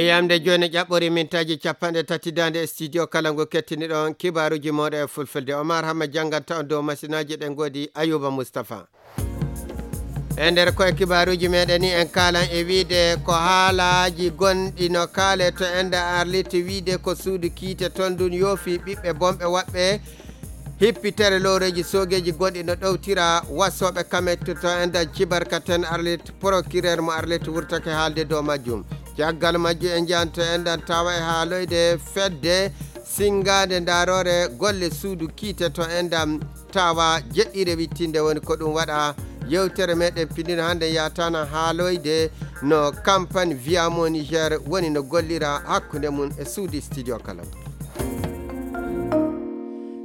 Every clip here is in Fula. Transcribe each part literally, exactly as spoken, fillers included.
Yamde jooni ƴaɓɓori mintaaji capanɗe tati daande e studio kala ngu kettiniɗon kibaaruuji mooɗon e fulfulde. Omar Hamma jannganta on dow masinaaji ɗen ngoodi Ayuba Mustafa. E nder koye kibaaruuji meɗen ni en kaalan e wiide ko haalaaji gonɗi no kaale to enda Arlit wiide ko suudu kiite ton ndun yoofi ɓiɓɓe bonɓe waɓɓe hippitere looreeji soogeeji gonɗi no ɗowtira wasooɓe kamet to enda cibarkaten Arlit procureur mo Arlit wurtake haalde dow majjum. Caggal majjum en njahan to endan tawa e haaloyde fedde singaande ndaroore golle suudu kiite to endan tawa jeɗɗire wittinde woni ko ɗum waɗa yewtere meɗen pindino hannde yatana haaloyde no campagne Viamo Niger woni no gollira hakkunde mum e suudu studio kala.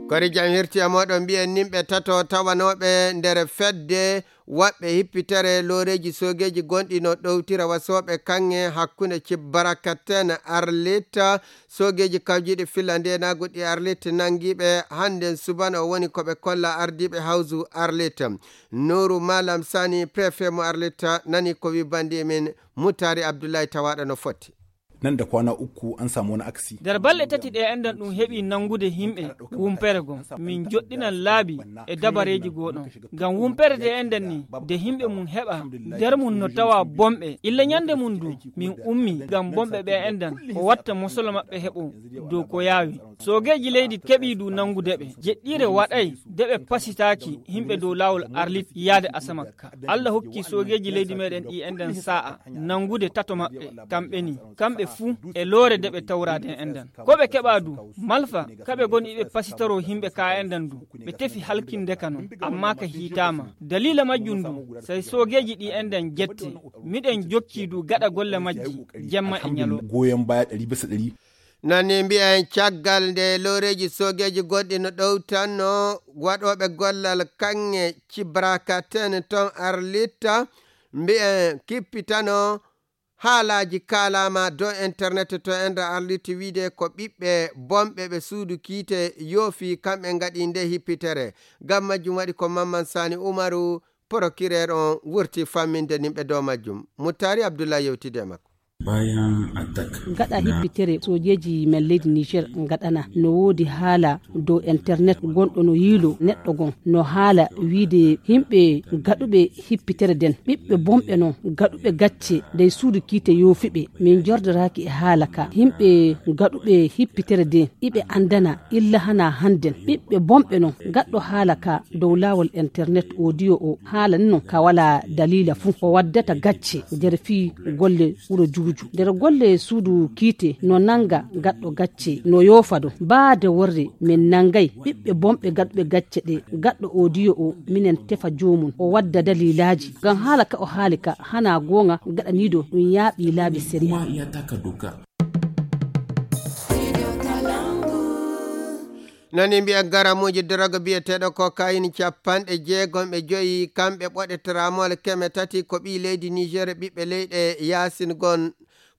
Kori jam hirti e moɗon mbiyen nimɓe tato tawanooɓe nder fedde waɓɓe hippitere looreeji soogeeji gonɗi no ɗowtira wasooɓe kaŋŋe hakkunde Cibbarakaten Arlita. Soogeeji kawjiiɗi filla ndeenaagu ɗi Arlit nanngiiɓe hannden subana o woni ko ɓe kolla ardiiɓe hawsu Arlit. Nuuru Malam Sani, préfet mo Arlit, nani ko wi banndi min Mutari Abdullahi tawaaɗo no foti. Nan da kwana uku an samu wani aksi. Nder balɗe tati ɗe enɗan ɗum heɓi nanngude yimɓe wumpere gom. Min joɗɗinan laabi e dabareeji gooɗon. Ngam wumpere de enɗan ni, de yimɓe mum heɓa, nder mum no tawa bomɓe. Illa ñande mum du, min ummi ngam bomɓe ɓe enɗan, ko watta mosolo maɓɓe heɓo dow ko yaawi. Soogeeji leydi keɓii du nanngude ɓe. Jeɗɗiire waɗay de ɓe pasitaaki yimɓe dow laawol Arlit yaade Asamakka. Allah hokki soogeeji leydi meɗen ɗi enɗan sa'a nanngude tato maɓɓe, kamɓe ni, kamɓe fuu e loore de ɓe tawraade enɗan. Ko ɓe keɓa du, malfa, kaɓe goni iɓe pasitoro yimɓe ka enɗan du, ɓe tefi halkinde ka non, amma ka hiitaama. Daliila majjum du, sey soogeeji ɗi enɗan jette, miɗen jokki du gaɗa golle majji, jemma e ñalo. Goyon baya ɗari bisa ɗari. Nani mbi'en caggal nde looreeji soogeeji gonɗi no ɗowtanno waɗooɓe gollal kaŋŋe cibrakaten ton Arlitta, mbi'en kippitano haalaaji kaalaama dow internet to enɗan Arlitta wiide ko ɓiɓɓe bonɓe ɓe suudu kiite yoofi kamɓe ngaɗi nde hippitere. Ngam majjum waɗi ko Mamman Sani Umaru, procureur on wurti famminde nimɓe dow majjum. Muttari Abdullahi yewtidi e makko. Bayan attack. Gaɗa hippitere sojeeji men leydi Niger gaɗana no woodi haala dow internet gonɗo no yiilo neɗɗo gon no haala wiide yimɓe gaɗuɓe hippitere den ɓiɓɓe bonɓe non gaɗuɓe gacce dey suudu kiite yoofiɓe min jordoraaki e haala ka yimɓe gaɗuɓe hippitere den iɓe andana illa hana hannden ɓiɓɓe bonɓe non gaɗɗo haala ka dow laawol internet audio o haalani non ka wala daliila fuu o waddata gacce nder fii golle wuro juuju nder golle suudu kiite no nanga gaɗɗo gacce no yoofa do baade worre min nangay ɓiɓɓe bonɓe gaɗuɓe gacce ɗe gaɗɗo audio o minen tefa joomum o wadda daliilaaji ngam haala ka o haali ka hana goonga gaɗaniido ɗum yaaɓi laabi sariya. Nani mbiya garamuuji doroga biyeteeɗo kokayin capanɗe jeegom e joyi kamɓe ɓoɗe tramol keme tati ko ɓii leydi Niger ɓiɓɓe leyɗe yaasin gon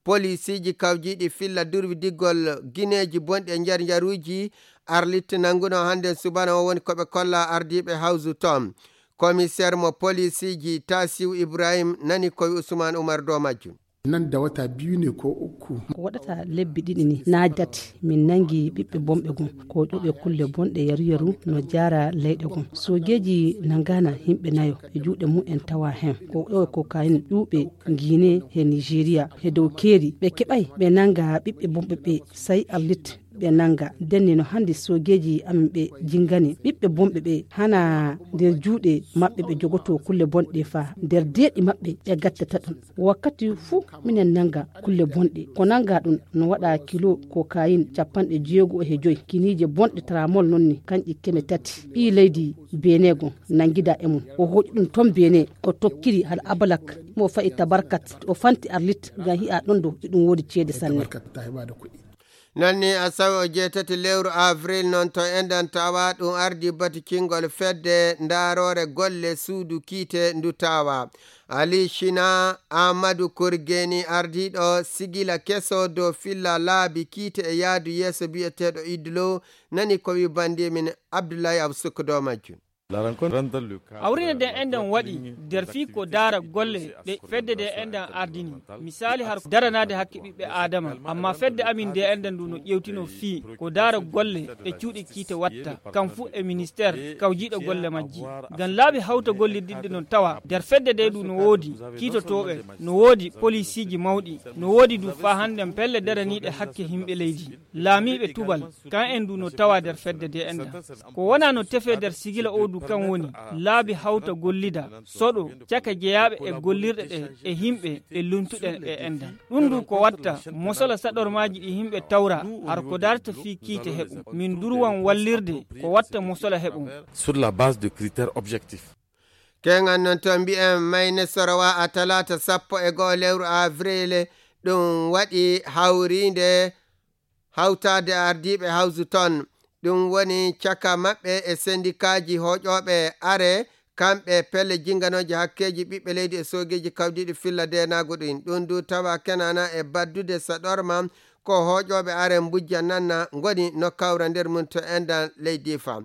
polisiiji kawjiiɗi filla durwi diggol gineeji bonɗi e njar njaruuji Arlit nannguno hannde subana o woni ko ɓe kolla ardiiɓe hawsu toon. Komiseer mo polisiiji Tasiw Ibrahim nani koye Usman Umar dow majjum. Nan da wata biyu ne ko uku. Ko waɗata lebbi ɗiɗi ni naa tati min nangi ɓiɓɓe bonɓe gon ko ƴuuɓe kulle bonɗe yaru yaru no jaara leyɗe gon sogeeji nangana yimɓe nayo e juuɗe mumen tawa hen ko ƴeewe kokayin ƴuuɓe guine he nigeria he dow keeri ɓe keɓay ɓe nanga ɓiɓɓe bonɓe ɓe sai arlit ɓe nanga. Denni no hannde soogeeji amin ɓe jingani ɓiɓɓe bonɓe ɓe hana nder juuɗe maɓɓe ɓe jogoto kulle bonɗe fa nder deeɗi maɓɓe ɓe gattata ɗum. Wakkati fuu minen nanga kulle bonɗe ko nanga ɗum no waɗa kilo kokayin capanɗe jeego e joy kiniije bonɗe tramol noon ni kanƴi keme tati ɓii leydi beeneego nangida e mum o hooƴi ɗum toon beene o tokkiri hal abalak mo fayi tabarkat o fanti arlit ngam hi'a ɗon ɗo iɗum woodi ceede sanne. Nanni asawe o jeetati lewru avril noon to enɗan tawa ɗum ardi batu cingol fedde ndaaroore golle suudu kiite ndu tawa ali shina amadou korgeni ardiiɗo sigila keso dow filla laabi kiite e yaadu yeeso biyeteeɗo idlo nani ko wi bandi min abdullahi absuk dow majjum. Hawrine de enɗen waɗi nder fii ko daara golle ɗe fedde de enɗen ardini. Misaali har daranaade hakke ɓiɓɓe Aadama. Amma fedde amin de enɗen ndu no ƴewtino fii ko daara golle ɗe cuuɗi kiite watta. Kam fuu e ministeer kawjiiɗo golle majji. Ngam laabi hawta gollididde no tawa nder fedde de ndu no woodi kiitotooɓe, no woodi polisiiji mawɗi, no woodi du faa hannden pelle daraniiɗe hakke yimɓe leydi. Laamiiɓe tubal, kan en du no tawa nder fedde de enɗen. Ko wona no tefee nder sigila o du kan woni, laabi hawta gollida, soɗo, caka jeyaaɓe e gollirɗe ɗe e yimɓe ɓe luntuɗen e enɗen. Ɗum du ko watta, mosola saɗormaaji ɗi yimɓe tawra, har ko darta fii kiite heɓu. Min durwan wallirde, ko watta mosola heɓu. Sur la base de critères objectifs. Keŋan noon to mbiyen Mayne Sorowa a talaata sappo e go'o lewru avril, ɗum waɗi hawriinde hawtaade ardiiɓe hawsu toon. Ɗum woni caka maɓɓe e sendikaaji hooƴooɓe are, kamɓe pelle jinnganooji hakkeeji ɓiɓɓe leydi e soogeeji kawdiiɗi filla deenaagu ɗin. Ɗum du tawa kenaana e baddude saɗorma ko hooƴooɓe are mbujja nanna ngoni no kawra nder mum to enɗan leydi fa.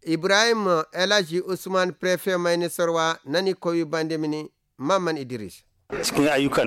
Ibrahim Elaji Usman, préfet Mayne Sorwa, nani ko wi bande mini Mamman Idris. Cikin ayyukan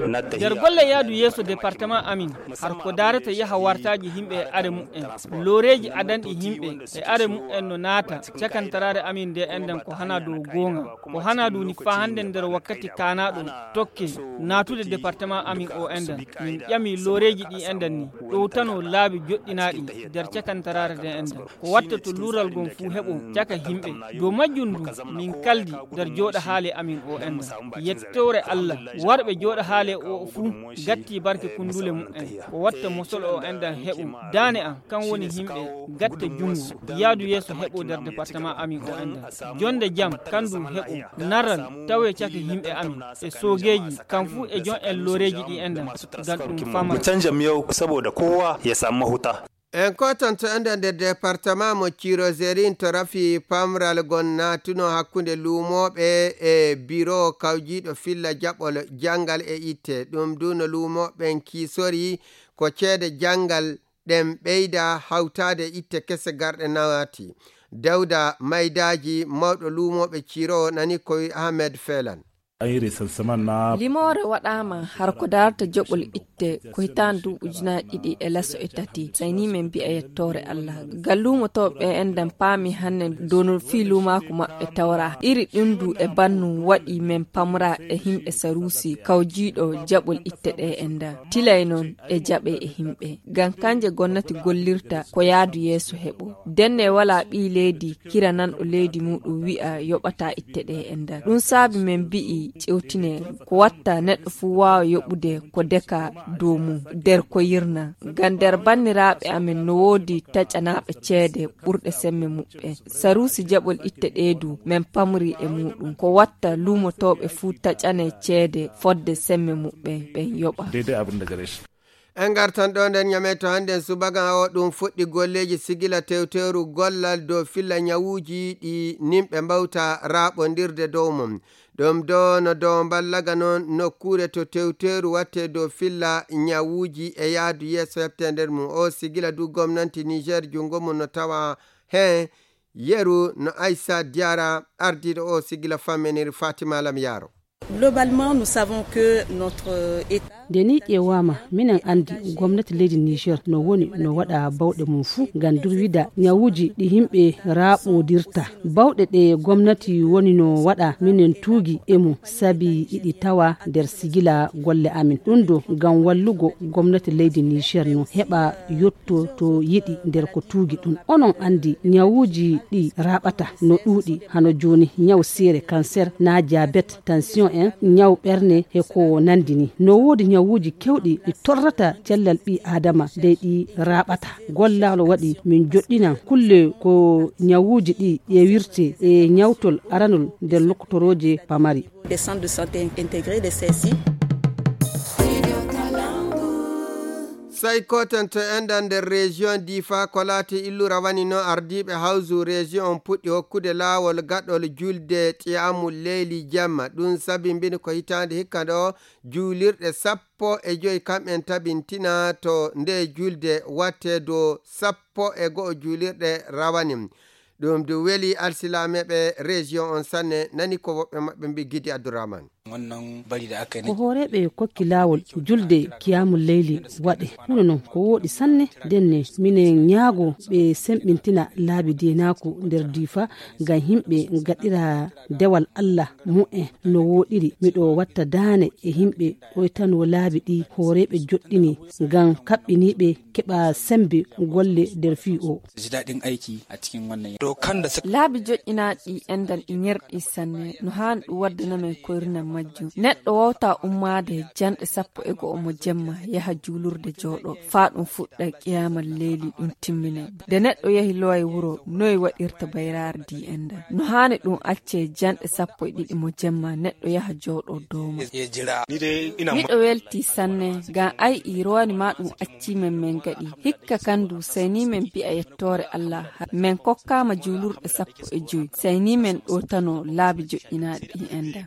natta nder golle yaadu yeeso département amin, har ko daarata yaha wartaaji yimɓe e are mu'en, looreeji adanɗi yimɓe e are mu'en no naata cakantaraare amin nde enɗan ko hana dow goonga, ko hana duni faa hannden nder wakkati kaanaaɗo tokke naatude département amin o enɗan. Min ƴami looreeji ɗi enɗan ni ɗowtano laabi joɗɗinaaɗi nder cakantaraare nde enɗan. Ko watta to luural ngon fuu heɓo caka yimɓe. Dow majjum ndu min kaldi nder jooɗa haale amin o enɗan. Yettoore Allah, warɓe jooɗa haale o fuu gatti barke kundule mu'en. Ko watta mosol o enɗan heɓo. Daane am, kan woni yimɓe gatta junngo, yaadu yeeso heɓo nder département amin o enɗan. Jonde jam, kan du heɓo. Naral, tawe caka yimɓe amin. E soogeeji, kam fuu e jon en looreeji ɗi enɗan. Ngam ɗum famata. Mu canja miyau saboda kowa ya samu mahuta. En kotanto enɗan nder département mo Cirozerin to rafi pamral gon naatuno hakkunde luumooɓe e biro kawjiiɗo filla jaɓol janngal e itte. Ɗum du no luumooɓen kiisori ko ceede janngal ɗen ɓeyda hawtaade itte kese garɗe naati. Dawda Maydaaji, mawɗo luumooɓe Ciro, nani ko wi Ahmed Felan. An yi recensement na. Limoore waɗaama har ko darata joɓol itte ko hitaande duuɓi ujunaaji ɗiɗi e laso e tati. Sayni men mbi'a yettoore Allah. Ngal luumotooɓe en ɗan paami hanne dow no fii luumaaku maɓɓe tawra. Iri ɗum du e bannum waɗi men pamra e himɓe Saruusi kawjiiɗo jaɓol itte ɗe en ɗan. Tilay non e jaɓe e himɓe. Ngam kanje gonnati gollirta ko yaadu yeeso heɓo. Denne walaa ɓii leydi kirananɗo leydi muuɗum wi'a yoɓataa itte ɗe e ndar. Ɗum saabi men mbi'i ƴewtine ko watta neɗɗo fuu waawa yoɓude ko deka dow mum nder ko yirna. Ngam nder banniraaɓe amen no woodi taƴanaaɓe ceede ɓurɗe semme muɓɓen. Saruusi jaɓol itte ɗe du men pamri e muuɗum. Ko watta luumotooɓe fuu taƴane ceede fodde semme muɓɓen ɓen yoɓa. Daidai abin da gare shi. En ngartan ɗo nder ñame to hannden subaka o ɗum fuɗɗi golleeji sigila tewteeru gollal dow filla ñawuuji ɗi nimɓe mbawta raaɓondirde dow mum. Ɗum do no dow mballaga noon nokkuure to tewteeru watte dow filla ñawuuji e yahdu yeeso heɓte nder mum. O sigila du gomnanti Niger junngo mum no tawa heen yeru no Aissa Diarra ardiiɗo o sigila fammeniri Fatima Lam Yaro. Globalement, nous savons que notre, euh, État. Nde ni ƴeewaama, minen anndi gomnati leydi Niger no woni no waɗa bawɗe mum fuu ngam durwida ñawuuji ɗi yimɓe raaɓodirta. Bawɗe ɗe gomnati woni no waɗa, minen tuugi e mum, sabi iɗi tawa nder sigila golle amin. Ɗum do ngam wallugo gomnati leydi Niger no heɓa yotto to yiɗi nder ko tuugi ɗum. Onon anndi ñawuuji ɗi raaɓata no ɗuuɗi, hano jooni ñaw siire, cancer, naa diabète, tension en, ñaw ɓerne he ko nanndi ni. No woodi ñawuuji kewɗi ɗi torrata cellal ɓii Aadama, dey ɗi raaɓata. Gollal waɗi min joɗɗinan kulle ko ñawuuji ɗi ƴeewirte e ñawtol aranol nder lokotorooje pamari. Des centres de santé intégrés, des C S I. Sey koten to enɗan nder région Difa ko laati illura wani no ardiiɓe hawsu région on puɗɗi hokkude laawol gaɗol julde qiyaamul leyli jamma. Ɗum sabi mbini ko hitaande hikka ɗo juulirɗe sappo e joy kam'en tabintina to nde julde watte dow sappo e go'o juulirɗe rawani. Ɗum du weli alsilameeɓe région on sanne, nani ko woɓɓe maɓɓe mbi Gidi Abdourahmane. Ko hooreeɓe kokki laawol julde kiyaamul leyli waɗe. Huno noon ko wooɗi sanne, ndenne minen ñaago ɓe semɓintina laabi deenaaku nder Diifa ngam yimɓe ngaɗira dewal Allah mu'en no wooɗiri. Miɗo watta daane e yimɓe ɗoytanoo laabi ɗi hooreeɓe joɗɗini ngam kaɓɓiniiɓe keɓa semmbe golle nder fii o. Ji daɗin aiki a cikin wannan yanayi. Laabi joƴƴinaaɗi ɗi enɗan ɗi ŋerɗi sanne, no haani ɗum waddana men koyrinal majjum. Neɗɗo wawta ummaade janɗe sappo e go'o mo jemma yaha juulurde jooɗo, faa ɗum fuɗɗa qiyaamal leyli ɗum timmine. Nde neɗɗo yahi loway wuro, noy waɗirta bayraare ndi enɗan? No haani ɗum accee janɗe sappo e ɗiɗi mo jemma neɗɗo yaha jooɗo dooma. Miɗo welti sanne, ngam ay i rowani ma ɗum accii men men gaɗi. Hikka kandu, sey ni men mbi'a yettoore Allah. Men kokkaama juulurɗe sappo e joy, sey ni men ɗootano laabi joƴƴinaaɗi ɗi enɗan.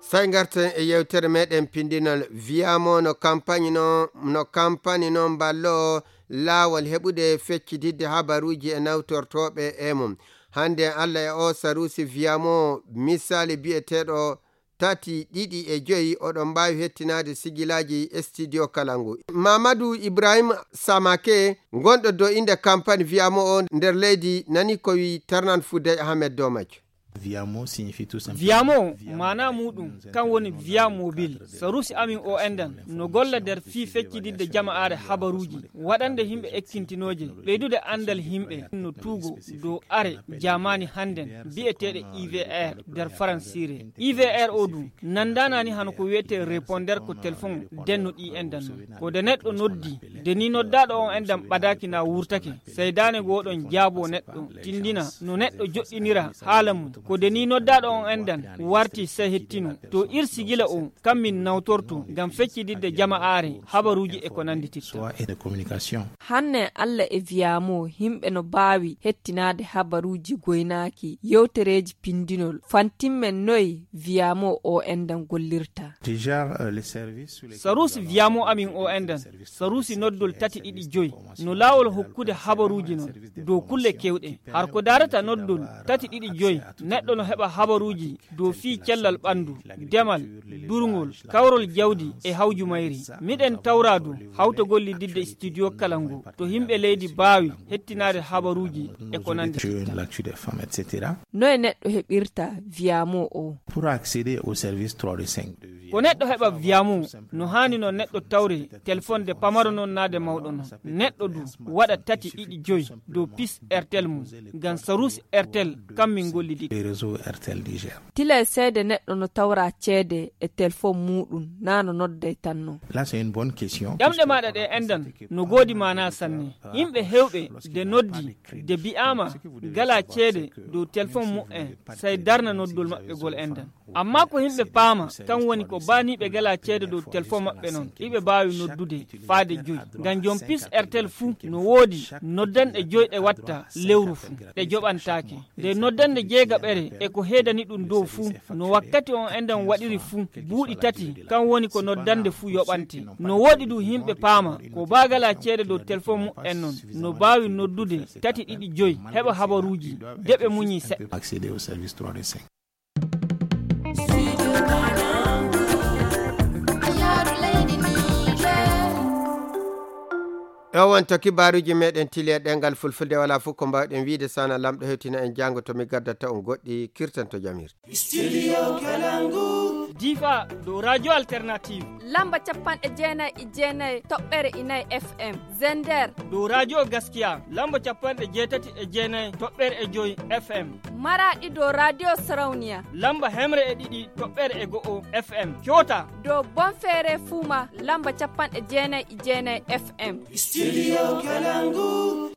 Sey ngarten e yewtere meɗen pindinol. Viyamo no kampani no, no kampani no mballo laawol heɓude feccitidde habaruuji e nawtortooɓe e mum. Hannde Allah e o saruusi Viyamo, misali biyeteeɗo tati, ɗiɗi e joyi, oɗon mbaawi hettinaade sigilaaji Studio Kalangu. Mamadou Ibrahim Samake, gonɗo dow innde kampani Viyamo o nder leydi, nani ko wi Tarnan Foudey Ahmed Domac. Viyamo signifie tout simplement Viyamo, maanaa muuɗum, kan woni Viya Mobil. Saruusi amin o enɗan no golla nder fii feccitidde jama'aare habaruuji, waɗande yimɓe ekkintinooje, ɓeydude anndal yimɓe no tuugo dow are jaamaani hannden biyeteeɗe I V R nder faransiire. I V R o du nanndaanaani hano ko wiyetee répondeur ko telefon denno ɗi enɗan non. Ko de neɗɗo noddi, de ni noddaaɗo on enɗan ɓadaaki na wurtake, sey daane goo ɗon jaaboo neɗɗo, tindina no neɗɗo joɗɗinira haala mum. Ko de ni noddaaɗo on enɗan warti sey hettino. To ir sigila o, kam min nawtorto ngam feccitidde jama'aare, habaruuji e ko nannditirta. Soit et de communication. Hanne Alla e Viyamo, yimɓe no baawi hettinaade habaruuji goynaaki, yewtereeji pindinol. Fantimmen noy Viyamo o enɗan gollirta. Déjà, euh, les services sur les Saruusi Viyamo amin o enɗan, saruusi noddol tati ɗiɗi joy, no laawol hokkude habaruuji non dow kulle kewɗe. Har ko daarata noddol tati ɗiɗi joy, neɗɗo no heɓa habaruuji dow fii cellal ɓanndu, demal, durngol, kawrol jawdi e hawju mayri. Miɗen tawra du hawtogol liddidde studio kala ngu, to yimɓe leydi baawi hettinaade habaruuji e ko nanndi. Sur l'actu des femmes, et cetera. Noye neɗɗo heɓirta Viyamo o? Pour accéder au service trois de cinq de Ko neɗɗo heɓa Viyamo, no haani no neɗɗo tawre telefonde pamaro non naade mawɗo non. Neɗɗo du waɗa tati ɗiɗi joy dow pis Airtel mum, ngam saruusi Airtel kam min gollidii. Les réseaux Airtel Niger. Tila e seede neɗɗo no tawra ceede e telefon muuɗum, naa no nodday tan non. Là, c'est une bonne question. Ɗemɗe maaɗa ɗe enɗan no goodi maanaa sanne. Yimɓe heewɓe de noddi, de bi'aama galaa ceede dow telefon mu'en, sey darna noddol maɓɓe gol enɗan. Amma ko yimɓe paama, kan woni ko baaniiɓe galaa ceede dow telefon maɓɓe non, iɓe baawi noddude faade joy. Ngam jom pis Airtel fuu no woodi noddanɗe joy ɗe watta lewru fuu, ɗe joɓantaake. Nde noddannde jeegaɓere e ko heedani ɗum dow fuu, no wakkati on enɗan waɗiri fuu, buuɗi tati, kan woni ko noddannde fuu yoɓante. No woodi du yimɓe paama, ko baa galaa ceede dow telefon mu'en non, no baawi noddude tati ɗiɗi joy, heɓa habaruuji, de ɓe muñii seɗɗa. Accéder au service trois de cinq. O wonto kibaaruuji meɗen tili e ɗemngal Fulfulde, walaa fof ko mbaawɗen wiyde so wonaa Laamɗo hewtina en janngo to mi gaddata on goɗɗi, kirtanto jamirde. Studio Kalangu. Difa dow Radio Alternative. Lamba capanɗe jeenayi e jeenayi toɓɓere e nayi F M. Zender. Dow Radio Gaskiya, lamba capanɗe jeetati e jeenayi toɓɓere e joy F M. Maraɗi dow Radio Sarauniya. Lamba hemre e ɗiɗi toɓɓere e go'o F M. Kyota. Dow Bonfere Fuma, lamba capanɗe jeenayi e jeenayi F M. Studio Kalangu.